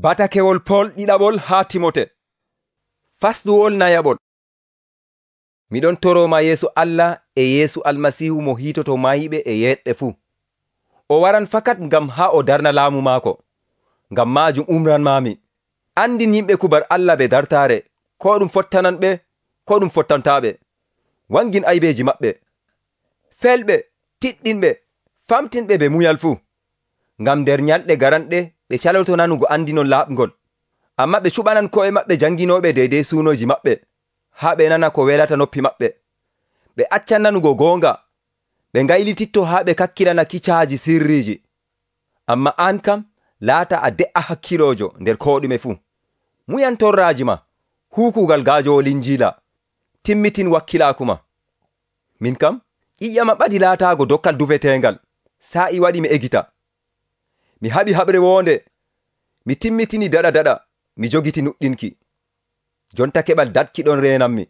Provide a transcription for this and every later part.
Batakewol Pol ɗiɗaɓol haa Timote. Fasluwol nayaɓol. Miɗon toroma yeeso Allah e Yeesu Almasiihu mo hiitoto mayɓe e yeɗɓe fuu. O waran fakat ngam haa o darna laamu maako. Ngam maajum umranmaami. Andin yimɓe kubar Allah ɓe dartaare, ko ɗum fottananɓe, ko ɗum fottantaaɓe. Wangin aybeeji maɓɓe. Felɓe, tiɗɗinɓe, famtinɓe ɓe munyal fuu. Ngam nder nyalɗe garanɗe ɓe caloto nanugo andinon laaɓngol. Amma ɓe cuɓanan ko'e maɓɓe janginooɓe deydey suunoji maɓɓe, haa ɓe nana ko welata noppi maɓɓe. Ɓe accan nanugo goonga, ɓe ngaylititto haa ɓe kakkilana kicaaji sirriiji. Amma an kam laata a de'a hakkiloojo nder ko ɗume fuu. Muyan torraaji ma, huukugal gaajowo Linjiila, timmitin wakkilaaku ma. Min kam ƴiƴam ɓadi laataago dokkal dufeteengal, sa'i waɗi mi egita. Mi haɓi haɓre woonde, mi timmitini daɗa, mi jogiti nuɗɗinki. Jonta keɓal datkiɗon reenanmi.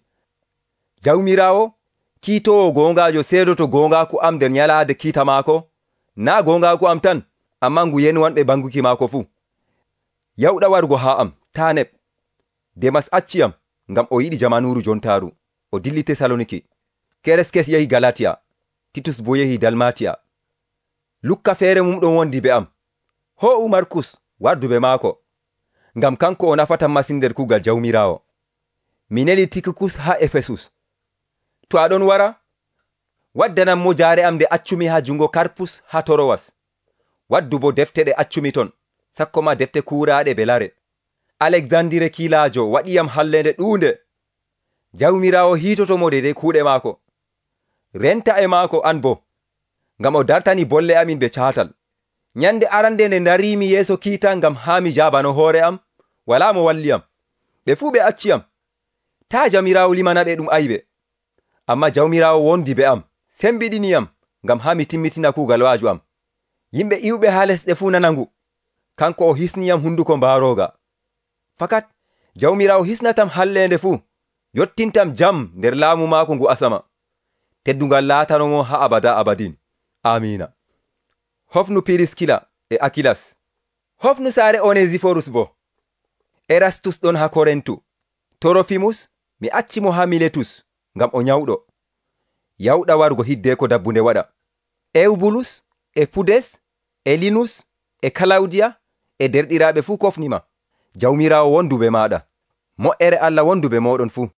Jawmiraawo, kiitoowo goongaajo seedoto goongaaku am nder nyalaade kiita maako, naa goongaaku am tan, ammaa ngu yenwanɓe banguki maako fuu. Yawɗa wargo haa am, taa neɓ. Demas acciyam, ngam o yiɗi jamanuuru jontaaru, o dilli Tesaloniki. Kereskes yehi Galatiya, Titus boo yehi Dalmatiya. Lukka feere mum ɗon wondi be am. Ho'u Markus wardu be maako, ngam kanko o nafatam masin nder kuugal Jawmiraawo. Mi neli Tikikus haa Efesus. To aɗon wara, waddanan mo jaare am nde accumi haa jungo Karpus haa Torowas. Waddu bo defte ɗe accumi ton, sakko ma defte kuuraaɗe belare. Alexandire kiilaajo waɗiyam hallende ɗuunde. Jawmiraawo hiitotomo deydey kuuɗe maako. Renta e maako an bo, ngam o dartani bolle amin be caatal. Nyande arande nde dariimi yeeso kiita ngam haa mi jaabano hoore am, walaa mo walliyam. Ɓe fuu ɓe acciyam. Taa Jawmiraawo limanaɓe ɗum aybe. Amma Jawmiraawo wondi be am, sembiɗiniyam ngam haa mi timmitina kuugal waaju am. Yimɓe iwɓe haa lesɗe fuu nana ngu. Kanko o hisniyam hunduko mbaarooga. Fakat Jawmiraawo hisnatam hallende fuu, yottintam jam nder laamu maako ngu asama. Teddungal laatanomo haa abada abadin. Amiina. Hofnu Piriskila e Akilas. Hofnu saare Onesiforus bo. Erastus ɗon haa Korentu. Torofimus mi accimo haa Miletus ngam o nyawɗo. Yawɗa wargo hiddeko dabbunde waɗa. Eubulus e Pudes e Linus e Kalawdiya e derɗiraaɓe fuu kofnima. Jawmiraawo wondu be maaɗa. Mo'ere Allah wondu be mooɗon fuu.